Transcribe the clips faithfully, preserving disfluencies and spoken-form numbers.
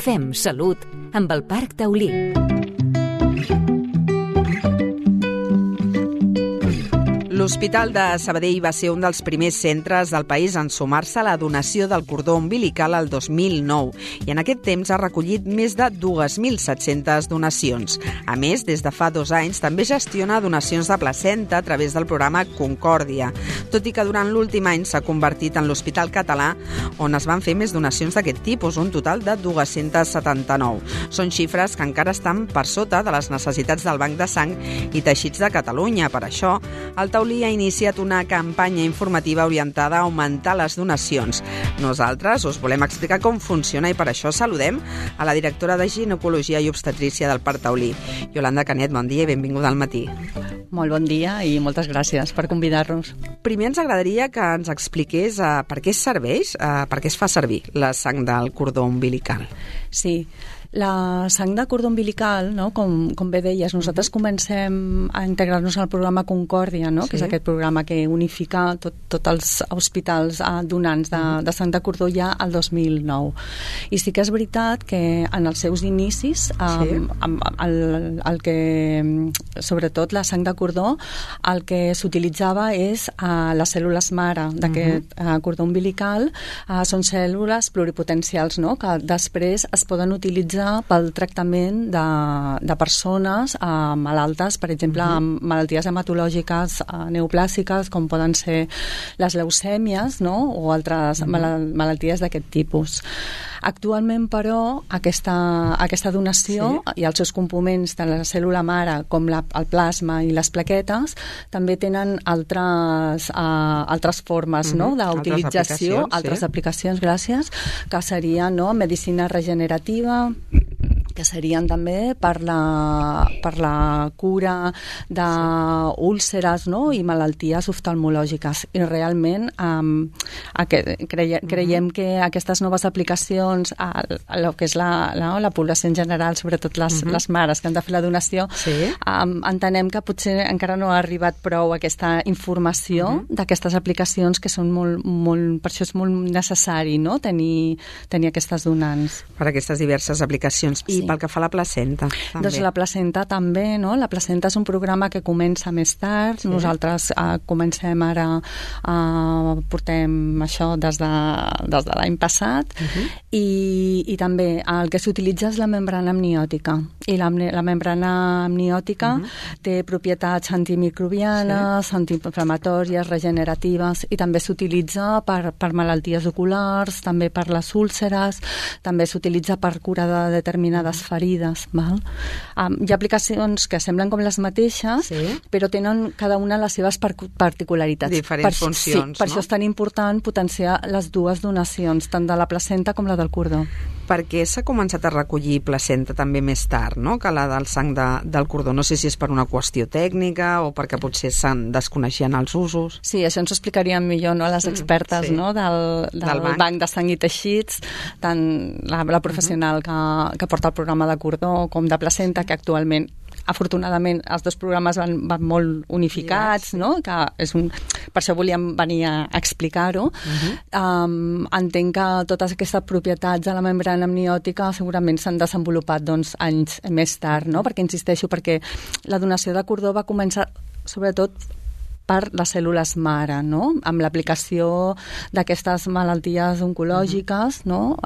Fem salut amb el Parc Taulí. L'Hospital de Sabadell va ser un dels primers centres del país en sumar-se a la donació del cordó umbilical el dos mil nou i en aquest temps ha recollit més de dos mil set-centes donacions. A més, des de fa dos anys també gestiona donacions de placenta a través del programa Concòrdia, tot i que durant l'últim any s'ha convertit en l'Hospital Català on es van fer més donacions d'aquest tipus, un total de dos-centes setanta-nou. Són xifres que encara estan per sota de les necessitats del Banc de Sang i Teixits de Catalunya. Per això, el Taulí ha iniciat una campanya informativa orientada a augmentar les donacions. Nosaltres us volem explicar com funciona i per això saludem a la directora de Ginecologia i Obstetrícia del Parc Taulí, Iolanda Canet. Bon dia i benvinguda al matí. Molt bon dia i moltes gràcies per convidar-nos. Primer ens agradaria que ens expliqués uh, per què serveix, uh, per què es fa servir la sang del cordó umbilical. Sí, la sang de cordó umbilical, no? com, com bé deies, nosaltres comencem a integrar-nos al programa Concòrdia, no? Sí. Que és aquest programa que unifica tots tot els hospitals eh, donants de, de sang de cordó ja al dos mil nou. I sí que és veritat que en els seus inicis, eh, sí. el, el, el que, sobretot la sang de cordó, el que s'utilitzava és eh, les cèl·lules mare d'aquest uh-huh. eh, cordó umbilical. Eh, són cèl·lules pluripotencials, no? Que després es poden utilitzar pel tractament de, de persones eh, malaltes, per exemple, uh-huh. amb malalties hematològiques eh, neoplàsiques, com poden ser les leucèmies, no? O altres uh-huh. mal malalties d'aquest tipus. Actualment, però, aquesta, aquesta donació sí. i els seus components, tant la cèl·lula mare com la, el plasma i les plaquetes, també tenen altres, uh, altres formes uh-huh. no? d'utilització, altres, altres sí. aplicacions, gràcies, que serien no? medicina regenerativa, que serien també per la, per la cura d'úlceres no? i malalties oftalmològiques. I realment um, aquest, creie, creiem que aquestes noves aplicacions a, a lo que és la, la, la població en general, sobretot les, uh-huh. les mares que han de fer la donació, sí. um, entenem que potser encara no ha arribat prou aquesta informació uh-huh. d'aquestes aplicacions que són molt, molt, per això és molt necessari no? tenir, tenir aquestes donants. Per aquestes diverses aplicacions. I sí. pel que fa a la placenta, també. Doncs la placenta també, no? La placenta és un programa que comença més tard. Sí. Nosaltres eh, comencem ara, eh, portem això des de, des de l'any passat, uh-huh. i, i també el que s'utilitza és la membrana amniòtica. I la, la membrana amniòtica uh-huh. té propietats antimicrobianes, sí. antiinflamatòries, regeneratives, i també s'utilitza per, per malalties oculars, també per les úlceres, també s'utilitza per cura de determinades ferides. Val? Um, hi ha aplicacions que semblen com les mateixes, sí. però tenen cada una les seves particularitats. Diferents per, funcions, sí, per no? això és tan important potenciar les dues donacions, tant de la placenta com la del cordó. Per què s'ha començat a recollir placenta també més tard, no? que la del sang de, del cordó? No sé si és per una qüestió tècnica o perquè potser se'n desconeixien els usos. Sí, això ens ho explicarien millor no? les expertes mm, sí. no? del, del, del banc. banc de sang i teixits, tant la, la professional uh-huh. que, que porta el programa de cordó com de placenta, que actualment afortunadament els dos programes van, van molt unificats, no? Que és un, per això volíem venir a explicar-ho. Uh-huh. um, entenc que totes aquestes propietats de la membrana amniòtica segurament s'han desenvolupat doncs, anys més tard, no? Perquè insisteixo, perquè la donació de cordó va començar sobretot per les cèl·lules mare, no? Amb l'aplicació d'aquestes malalties oncològiques, no?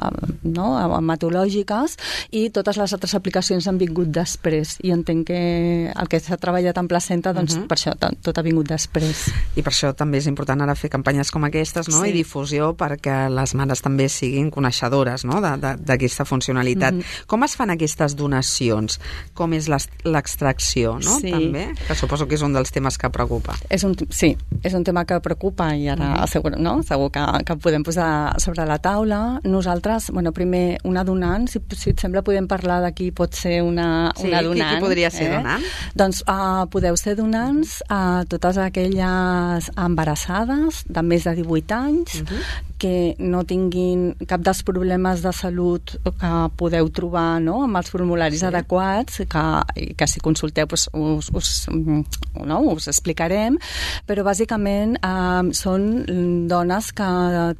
no? hematològiques, i totes les altres aplicacions han vingut després. I entenc que el que s'ha treballat en placenta, doncs uh-huh. per això tot ha vingut després. I per això també és important ara fer campanyes com aquestes, no? Sí. I difusió perquè les mares també siguin coneixedores no? d'aquesta funcionalitat. Uh-huh. Com es fan aquestes donacions? Com és l'extracció, no? Sí. També, que suposo que és un dels temes que preocupa. És un Sí, és un tema que preocupa i ara uh-huh. segur, no? segur que, que podem posar sobre la taula. Nosaltres, bueno, primer, una donant, si, si et sembla podem parlar de qui pot ser una, sí, una donant. Sí, qui podria ser eh? donant? Doncs uh, podeu ser donants a uh, totes aquelles embarassades de més de divuit anys uh-huh. que no tinguin cap dels problemes de salut que podeu trobar, no?, amb els formularis sí. adequats, que, que si consulteu pues, us, us, no, us explicarem, però bàsicament eh, són dones que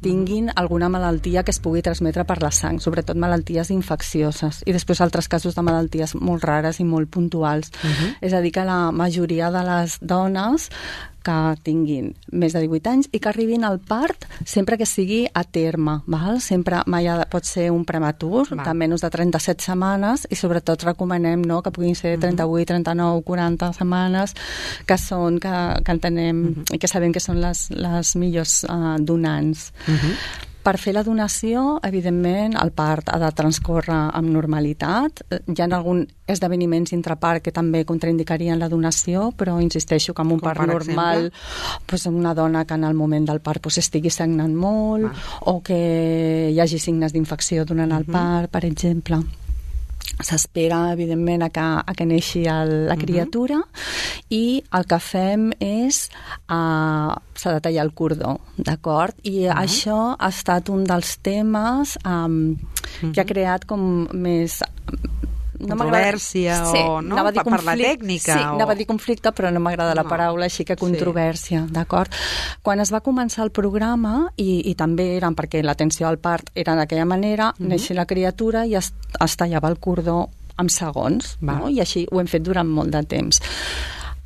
tinguin alguna malaltia que es pugui transmetre per la sang, sobretot malalties infeccioses, i després altres casos de malalties molt rares i molt puntuals. Uh-huh. És a dir, que la majoria de les dones que tinguin més de divuit anys i que arribin al part sempre que sigui a terme, val? Sempre mai ha, pot ser un prematur, val. De menys de trenta-set setmanes, i sobretot recomanem, no?, que puguin ser trenta-vuit, trenta-nou, quaranta setmanes, que són, que, que entenem uh-huh. i que sabem que són les, les millors uh, donants. Uh-huh. Per fer la donació, evidentment, el part ha de transcórrer amb normalitat. Hi ha alguns esdeveniments intrapart que també contraindicarien la donació, però insisteixo que amb un Com part normal, pues, una dona que en el moment del part pues, estigui sagnant molt, ah. o que hi hagi signes d'infecció durant el uh-huh. part, per exemple. S'espera, evidentment, a que, a que neixi el, la criatura, uh-huh. i el que fem és uh, s'ha de tallar el cordó, d'acord? I uh-huh. això ha estat un dels temes um, uh-huh. que ha creat com més... No controvèrsia sí, o no? Per, per la tècnica? Sí, o... anava a dir conflicte, però no m'agrada la no. paraula, així que controvèrsia, sí. d'acord? Quan es va començar el programa, i, i també eren perquè l'atenció al part era d'aquella manera, mm-hmm. neixia la criatura i es, es tallava el cordó en segons, Va. no? I així ho hem fet durant molt de temps.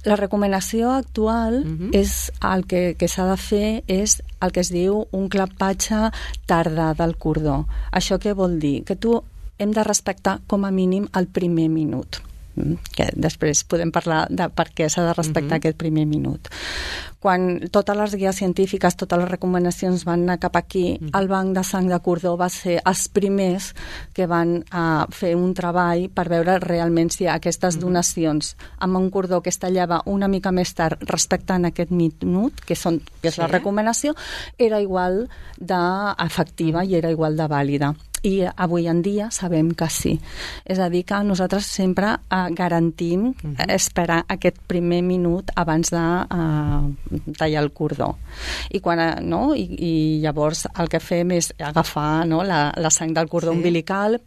La recomanació actual uh-huh. és el que, que s'ha de fer és el que es diu un clapatge tardà del cordó. Això què vol dir? Que tu hem de respectar com a mínim el primer minut, que després podem parlar de per què s'ha de respectar uh-huh. aquest primer minut. Quan totes les guies científiques, totes les recomanacions van anar cap aquí, uh-huh. el banc de sang de cordó va ser els primers que van uh, fer un treball per veure realment si aquestes uh-huh. donacions amb un cordó que es tallava una mica més tard respectant aquest minut, que, són, que és sí. la recomanació, era igual d'efectiva i era igual de vàlida. I avui en dia sabem que sí. És a dir, que nosaltres sempre eh, garantim uh-huh. esperar aquest primer minut abans de eh, tallar el cordó. I, quan, eh, no? I, i llavors el que fem és agafar, no? la, la sang del cordó sí. umbilical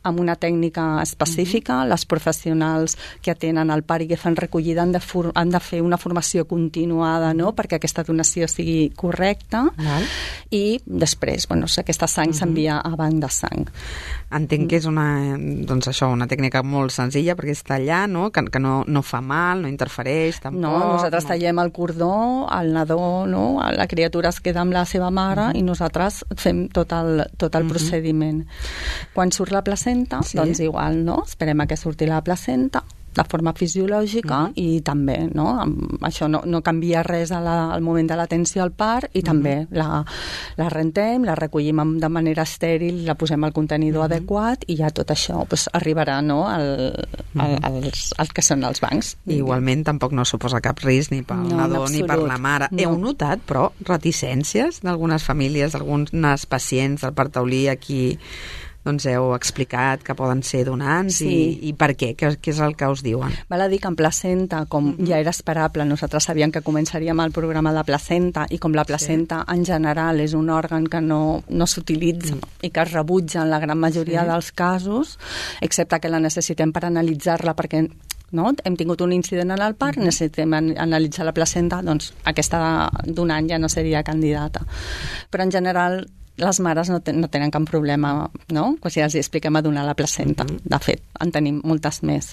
amb una tècnica específica. Mm-hmm. Les professionals que atenen el part i que fan recollida han de, for- han de fer una formació continuada, no?, perquè aquesta donació sigui correcta. Val. I després, bueno, aquesta sang mm-hmm. s'envia a banc de sang. Entenc que és una, doncs això, una tècnica molt senzilla, perquè és tallar, no?, que, que no, no fa mal, no interfereix tampoc. No, nosaltres no. tallem el cordó, el nadó, no?, la criatura es queda amb la seva mare mm-hmm. i nosaltres fem tot el, tot el mm-hmm. procediment. Quan surt la placenta, Sí. doncs igual, no? Esperem a que surti la placenta de forma fisiològica mm-hmm. i també, no? Això no, no canvia res a la, al moment de l'atenció al part i mm-hmm. també la, la rentem, la recollim de manera estèril, la posem al contenidor mm-hmm. adequat i ja tot això pues, arribarà, no?, al, al, als, als que són els bancs. I igualment tampoc no suposa cap risc ni pel no, nadó ni per la mare. No. Heu notat, però, reticències d'algunes famílies, d'algunes pacients del part taulí a qui doncs heu explicat que poden ser donants sí. i, i per què? què? Què és el que us diuen? Val a dir que en placenta, com mm-hmm. ja era esperable, nosaltres sabíem que començaríem el programa de placenta i com la placenta sí. en general és un òrgan que no, no s'utilitza mm. i que es rebutja en la gran majoria sí. dels casos, excepte que la necessitem per analitzar-la perquè no? hem tingut un incident en el part, mm-hmm. necessitem an- analitzar la placenta, doncs aquesta donant ja no seria candidata. Però en general les mares no, ten, no tenen cap problema, no? Si els expliquem a donar la placenta. Mm-hmm. De fet, en tenim moltes més.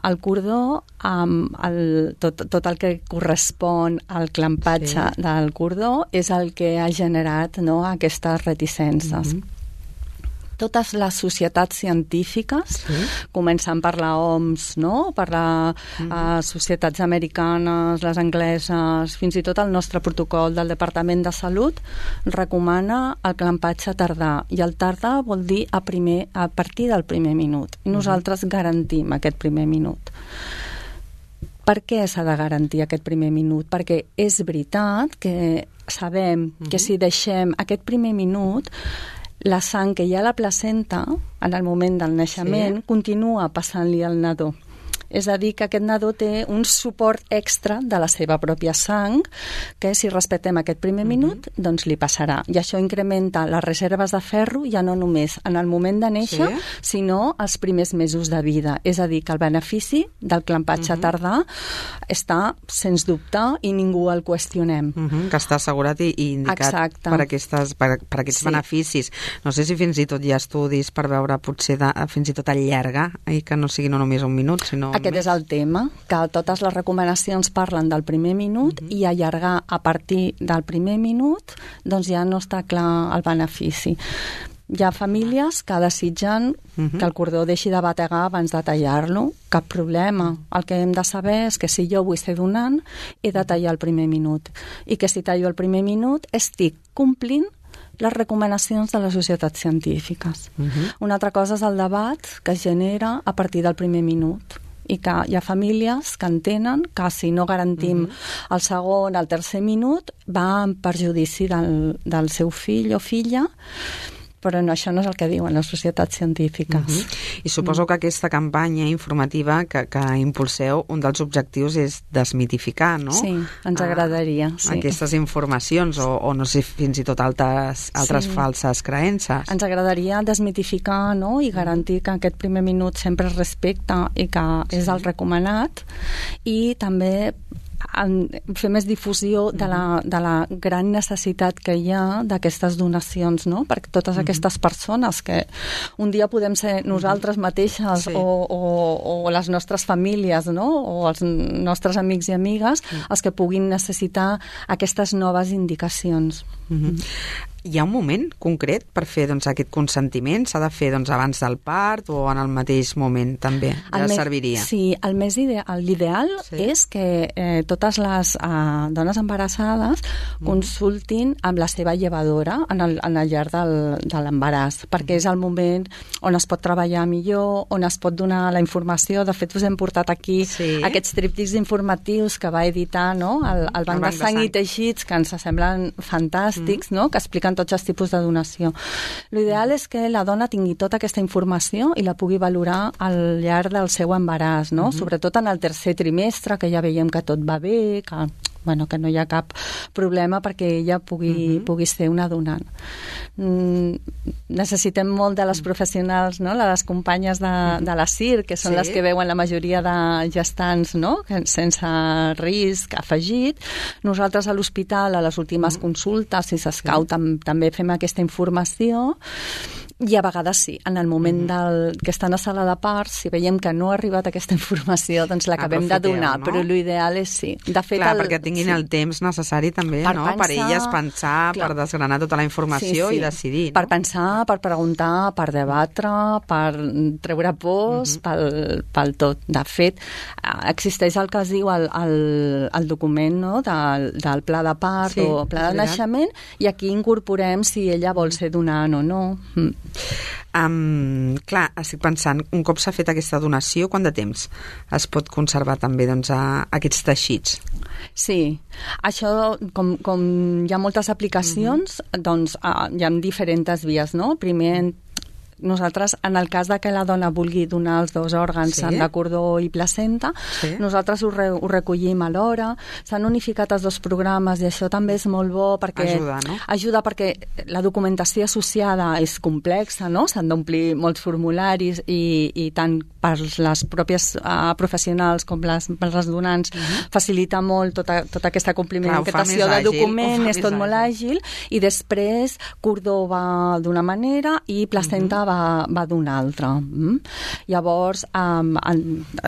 El cordó, amb el, tot, tot el que correspon al clampatge sí. del cordó és el que ha generat, no?, aquestes reticències. Mm-hmm. Totes les societats científiques, sí. començant per la O M S, no?, per les mm. uh, societats americanes, les angleses, fins i tot el nostre protocol del Departament de Salut recomana el clampatge tardà, i el tardà vol dir a, primer, a partir del primer minut. I nosaltres mm. garantim aquest primer minut. Per què s'ha de garantir aquest primer minut? Perquè és veritat que sabem mm. que si deixem aquest primer minut, la sang que hi ha a la placenta, en el moment del naixement, sí. continua passant-li al nadó. És a dir, que aquest nadó té un suport extra de la seva pròpia sang, que si respectem aquest primer minut, uh-huh. doncs li passarà. I això incrementa les reserves de ferro ja no només en el moment de néixer, sí? sinó els primers mesos de vida. És a dir, que el benefici del clampatge uh-huh. tardà està, sens dubte, i ningú el qüestionem. Uh-huh. Que està assegurat i, i indicat Exacte. per, aquestes, per, per aquests sí. beneficis. No sé si fins i tot hi ha estudis per veure potser de, fins i tot allargar i que no sigui no només un minut, sinó Aquest més. és el tema, que totes les recomanacions parlen del primer minut uh-huh. i allargar a partir del primer minut doncs ja no està clar el benefici. Hi ha famílies que desitgen uh-huh. que el cordó deixi de bategar abans de tallar-lo, cap problema. El que hem de saber és que si jo vull ser donant, he de tallar el primer minut. I que si tallo el primer minut, estic complint les recomanacions de les societats científiques. Uh-huh. Una altra cosa és el debat que es genera a partir del primer minut i que hi ha famílies que entenen que si no garantim uh-huh. el segon, el tercer minut, va en perjudici del, del seu fill o filla, però no, això no és el que diuen les societats científiques. Uh-huh. I suposo uh-huh. que aquesta campanya informativa que, que impulseu, un dels objectius és desmitificar, no? Sí, ens agradaria. Ah, sí. Aquestes informacions o, o no sé, fins i tot altres, altres sí. falses creences. Ens agradaria desmitificar, no?, i garantir que aquest primer minut sempre es respecta i que sí. és el recomanat, i també fer més difusió de la, de la gran necessitat que hi ha d'aquestes donacions, no? Perquè totes aquestes persones que un dia podem ser nosaltres mateixes sí. o, o, o les nostres famílies, no? O els nostres amics i amigues, els que puguin necessitar aquestes noves indicacions. Mm-hmm. Hi ha un moment concret per fer doncs, aquest consentiment? S'ha de fer doncs, abans del part o en el mateix moment també? Ja me... serviria? Sí, el més ideal, l'ideal sí. és que eh, totes les eh, dones embarassades mm. consultin amb la seva llevadora en el, en el llarg del, de l'embaràs, perquè és el moment on es pot treballar millor, on es pot donar la informació. De fet, us hem portat aquí sí. aquests tríptics informatius que va editar, no?, el, el Banc, el banc de Sang i Teixits, que ens semblen fantàstics, mm. no?, que expliquen tots els tipus de donació. L'ideal és que la dona tingui tota aquesta informació i la pugui valorar al llarg del seu embaràs, no? Uh-huh. Sobretot en el tercer trimestre, que ja veiem que tot va bé, que, bueno, que no hi ha cap problema perquè ella pugui, uh-huh. pugui ser una donant. Mm, necessitem molt de les professionals, no?, les companyes de, de la C I R, que són sí. les que veuen la majoria de gestants, no?, sense risc afegit. Nosaltres a l'hospital, a les últimes uh-huh. consultes, si s'escau, sí. tam, també fem aquesta informació. I a vegades sí, en el moment del, que estan a sala de part, si veiem que no ha arribat aquesta informació, doncs l'acabem de donar, no? Però l'ideal és sí. De fet, clar, el, perquè tinguin sí. el temps necessari també, per no? Pensar, per elles pensar, clar. Per desgranar tota la informació sí, sí. i decidir. No? Per pensar, per preguntar, per debatre, per treure pors, uh-huh. pel, pel tot. De fet, existeix el que es diu el, el, el document, no?, del, del pla de part sí, o pla de naixement, i aquí incorporem si ella vol ser donant o no. Mm. Um, clar, estic pensant, un cop s'ha fet aquesta donació, quant de temps es pot conservar també doncs, a, a aquests teixits? Sí, això, com, com hi ha moltes aplicacions, uh-huh. doncs uh, hi ha diferents vies, no? Primer, nosaltres, en el cas de que la dona vulgui donar els dos òrgans, sí. de cordó i placenta, sí. nosaltres ho, re, ho recollim alhora. S'han unificat els dos programes i això també és molt bo perquè ajuda, no? ajuda perquè la documentació associada és complexa, no? S'han d'omplir molts formularis i, i tant per les pròpies uh, professionals com les, per les donants uh-huh. facilita molt tota, tota aquesta complementació de document, és tot molt àgil, i després cordó va d'una manera i placenta uh-huh. va, va d'una altra. Mm? Llavors, um, en,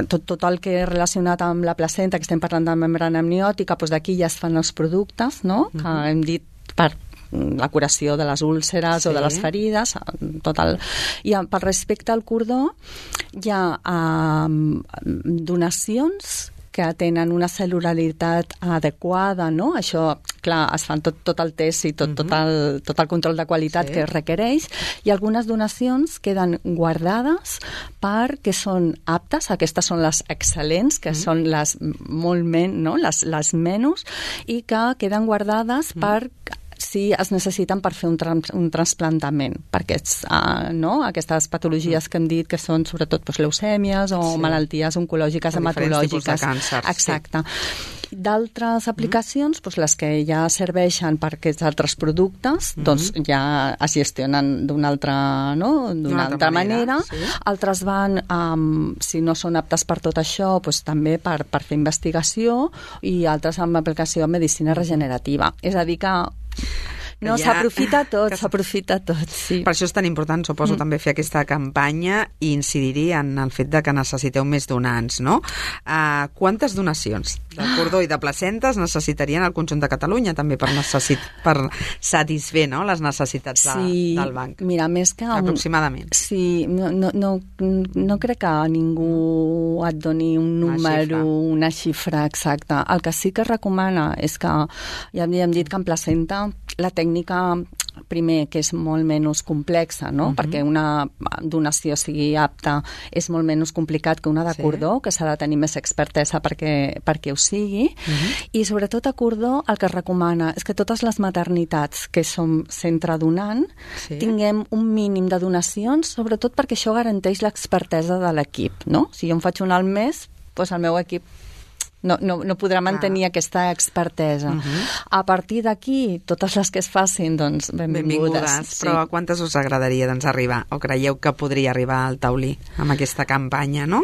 tot, tot el que és relacionat amb la placenta, que estem parlant de membrana amniòtica, doncs d'aquí ja es fan els productes, no?, uh-huh. que hem dit per la curació de les úlceres sí. o de les ferides, tot el... I per respecte al cordó, hi ha um, donacions que tenen una cel·lularitat adequada, no? Això, clar, es fan tot, tot el test i tot, uh-huh. tot, el, tot el control de qualitat sí. que es requereix, i algunes donacions queden guardades perquè són aptes, aquestes són les excel·lents, que uh-huh. són les molt men, no? les, les menys, i que queden guardades uh-huh. per sí es necessiten per fer un, trans, un trasplantament, perquè uh, no? aquestes patologies que hem dit que són sobretot doncs, leucèmies o sí. malalties oncològiques, hematològiques. Diferents tipus de càncer. Exacte. Sí. D'altres aplicacions, doncs, les que ja serveixen per aquests altres productes, mm-hmm. doncs ja es gestionen d'una altra, no? d'una altra, altra manera. manera. Sí. Altres van, um, si no són aptes per tot això, doncs, també per, per fer investigació, i altres amb aplicació de medicina regenerativa. És a dir que no, ja... s'aprofita tot, que... s'aprofita tot, sí. Per això és tan important, suposo, mm. també fer aquesta campanya i incidir en el fet de que necessiteu més donants, no? Uh, quantes donacions de cordó i de placentes necessitarien el conjunt de Catalunya també per, necessit... per satisfer, no?, les necessitats de, sí, del banc? Mira, més que... Aproximadament. Sí, no, no, no, no crec que ningú et doni un número, una xifra, una xifra exacta. El que sí que es recomana és que, ja havíem dit que en placenta la tècnica, primer, que és molt menys complexa, no? Uh-huh. Perquè una donació sigui apta és molt menys complicat que una de sí. cordó, que s'ha de tenir més expertesa perquè, perquè ho sigui. Uh-huh. I sobretot a cordó el que es recomana és que totes les maternitats que som centre donant sí. tinguem un mínim de donacions, sobretot perquè això garanteix l'expertesa de l'equip, no? Si jo em faig una al mes, doncs el meu equip No, no, no podrà mantenir ah. aquesta expertesa. Uh-huh. A partir d'aquí, totes les que es facin, doncs, benvingudes. benvingudes. Sí. Però a quantes us agradaria doncs, arribar? O creieu que podria arribar al taulí amb aquesta campanya, no?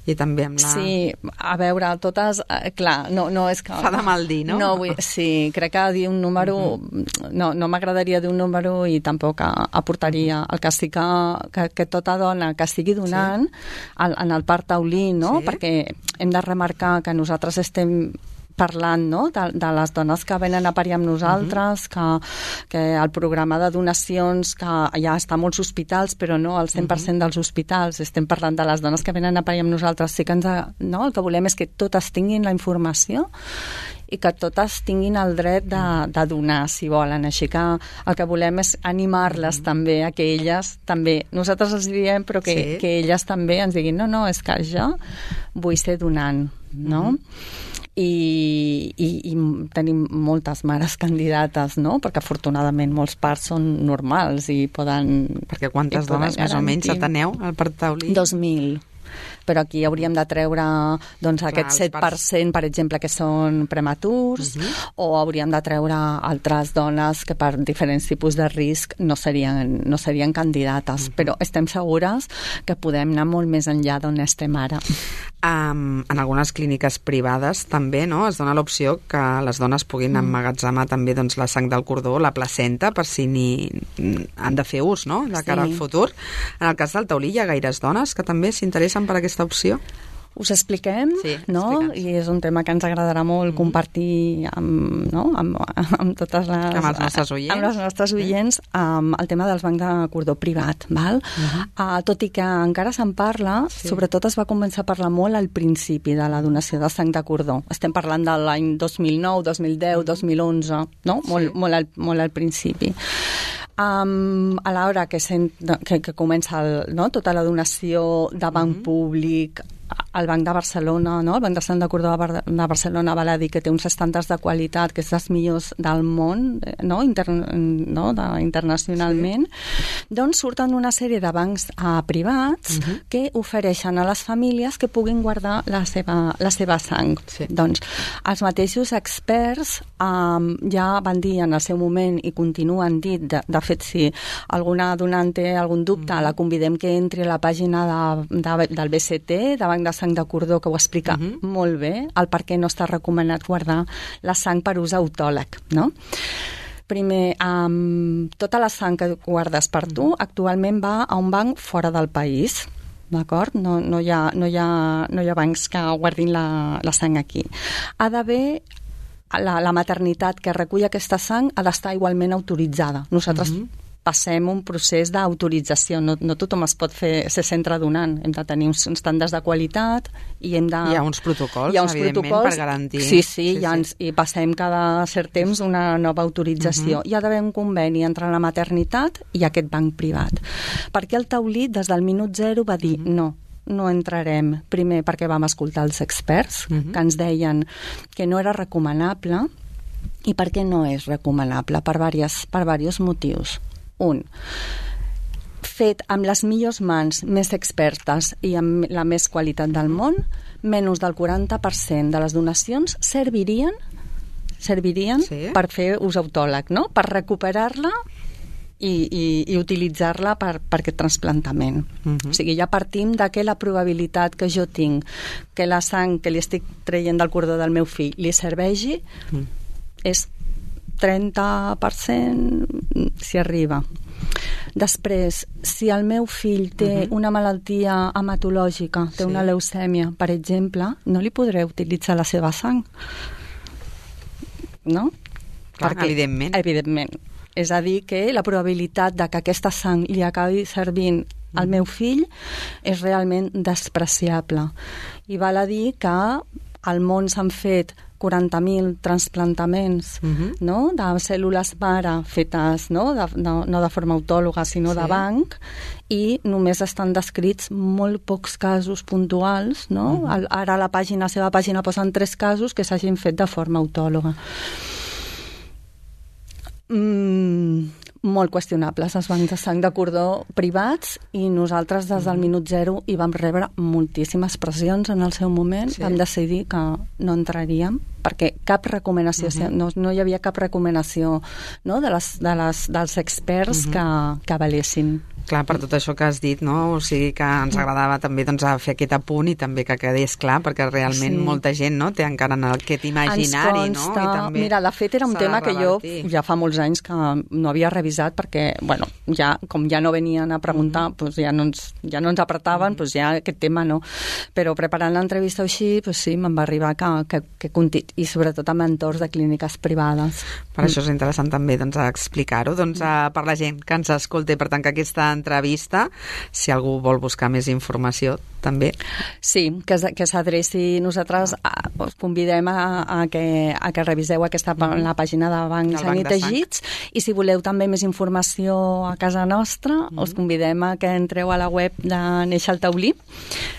I també amb la... Sí, a veure, totes... Eh, clar, no, no és que... Fa de mal dir, no? No, vull, sí, crec que dir un número... Uh-huh. No, no m'agradaria dir un número i tampoc aportaria. El que sí que, que, que tota dona que estigui donant sí. al, en el part taulí, no? Sí. Perquè hem de remarcar que nosaltres nosaltres estem parlant, no?, de, de les dones que venen a parir amb nosaltres, uh-huh. que, que el programa de donacions, que ja està a molts hospitals, però no al cent per cent uh-huh. dels hospitals. Estem parlant de les dones que venen a parir amb nosaltres. Sí que ens, no? El que volem és que totes tinguin la informació i que totes tinguin el dret de, de donar, si volen. Així que el que volem és animar-les mm. també, a que elles també, nosaltres els diem, però que, sí. que elles també ens diguin, no, no, és que jo vull ser donant, no? Mm-hmm. I, i, i tenim moltes mares candidates, no? Perquè afortunadament molts parts són normals i poden... Perquè quantes i poden dones més o menys ateneu al part taulí? Dos mil. Però aquí hauríem de treure doncs, Clar, aquest set per cent, per exemple, que són prematurs, uh-huh. o hauríem de treure altres dones que per diferents tipus de risc no serien, no serien candidates. Uh-huh. Però estem segures que podem anar molt més enllà d'on estem ara. Um, en algunes clíniques privades també, no?, es dona l'opció que les dones puguin mm. emmagatzemar també doncs, la sang del cordó, la placenta, per si ni han de fer ús, no?, de cara sí. al futur. En el cas del taulí hi ha gaires dones que també s'interessen per aquesta opció? Us expliquem, sí, no? Explica'ns. I és un tema que ens agradarà molt mm-hmm. compartir amb, no? amb, amb totes les... Amb els nostres oients. Amb els nostres oients, sí. amb el tema dels bancs de cordó privat, val? Mm-hmm. Uh, tot i que encara se'n parla, sí. sobretot es va començar a parlar molt al principi de la donació de sang de cordó. Estem parlant de l'any dos mil nou, dos mil deu, dos mil onze, no? Sí. Molt, molt, al, molt al principi. Um, a l'hora que, que, que comença el, no? tota la donació de banc mm-hmm. públic, el Banc de Barcelona, no? El Banc de Sant de Cordó de Barcelona va dir que té uns estàndards de qualitat que és dels millors del món, no? Inter, no? De, internacionalment. Sí. Doncs surten una sèrie de bancs uh, privats uh-huh. que ofereixen a les famílies que puguin guardar la seva, la seva sang. Sí. Doncs els mateixos experts um, ja van dir en el seu moment i continuen dit, de, de fet, si alguna donant té algun dubte, uh-huh. la convidem que entri a la pàgina de, de, del B C T, de Banc de Sang de Cordó, que ho explica uh-huh. molt bé, el per què no està recomanat guardar la sang per ús autòleg, no? Primer, um, tota la sang que guardes per tu uh-huh. actualment va a un banc fora del país, d'acord? No, no, hi ha, no, hi ha, no hi ha bancs que guardin la, la sang aquí. Ha d'haver la, la maternitat que recull aquesta sang ha d'estar igualment autoritzada. Nosaltres uh-huh. passem un procés d'autorització. No, no tothom es pot fer ser centre donant. Hem de tenir uns estàndards de qualitat i hem de... Hi ha uns protocols, hi ha uns evidentment, protocols, per garantir... Sí, sí, sí, ja ens, sí. i passem cada cert temps una nova autorització. Uh-huh. Hi ha d'haver un conveni entre la maternitat i aquest banc privat. Perquè el taulí, des del minut zero, va dir uh-huh. no, no entrarem. Primer, perquè vam escoltar els experts, uh-huh. que ens deien que no era recomanable, I per què no és recomanable? Per diversos, per diversos motius. Un, fet amb les millors mans més expertes i amb la més qualitat del món, menys del quaranta per cent de les donacions servirien, servirien sí. per fer ús autòleg, no? Per recuperar-la i, i, i utilitzar-la per, per aquest trasplantament. Uh-huh. O sigui, ja partim de que la probabilitat que jo tinc que la sang que li estic traient del cordó del meu fill li serveixi uh-huh. és trenta per cent si arriba. Després, si el meu fill té uh-huh. una malaltia hematològica, té sí. una leucèmia, per exemple, no li podré utilitzar la seva sang. No? Clar, Perquè, evidentment. Evidentment. És a dir, que la probabilitat de que aquesta sang li acabi servint uh-huh. al meu fill és realment despreciable. I val a dir que al món s'han fet quaranta mil transplantaments uh-huh. no? de cèl·lules mare fetes no de, de, no de forma autòloga sinó sí. de banc, i només estan descrits molt pocs casos puntuals, no? Uh-huh. Ara a la pàgina, a la seva pàgina posen tres casos que s'hagin fet de forma autòloga. Mm, molt qüestionables els bancs de sang de cordó privats, i nosaltres des del minut zero hi vam rebre moltíssimes pressions en el seu moment. Sí. Vam decidir que no entraríem perquè cap recomanació, uh-huh. no, no hi havia cap recomanació no, de les, de les, dels experts uh-huh. que, que valessin. Clar, per tot això que has dit, no? O sigui que ens agradava també doncs, a fer aquest apunt i també que quedés clar, perquè realment sí. molta gent no, té encara en aquest imaginari. Ens consta, no? I també mira, de fet era un tema que jo ja fa molts anys que no havia revisat perquè, bueno, ja, com ja no venien a preguntar, mm-hmm. doncs ja no ens, ja no ens apretaven, mm-hmm. doncs ja aquest tema no. Però preparant l'entrevista així, doncs sí, me'n va arribar que, que, que conti... i sobretot amb entorns de clíniques privades. Per mm. això és interessant també doncs, explicar-ho doncs, a, per la gent que ens escolta, per tant que aquesta entrevista, si algú vol buscar més informació, també. Sí, que, que s'adreci. Nosaltres a, us convidem a, a, que, a que reviseu aquesta mm-hmm. la pàgina de Banc Sang i Teixits, i si voleu també més informació a casa nostra, mm-hmm. us convidem a que entreu a la web de Néixer el Taulí,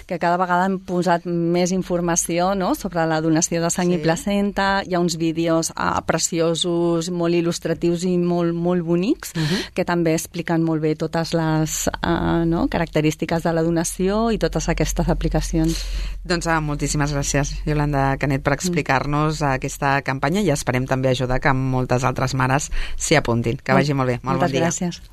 que cada vegada hem posat més informació no? sobre la donació de sang sí. i placenta. Hi ha uns vídeos ah, preciosos, molt il·lustratius i molt, molt bonics, uh-huh. que també expliquen molt bé totes les uh, no? característiques de la donació i totes aquestes aplicacions. Doncs ah, moltíssimes gràcies, Iolanda Canet, per explicar-nos mm. aquesta campanya, i esperem també ajudar que moltes altres mares s'hi apuntin. Que vagi molt bé. Molt Moltes bon dia. Gràcies.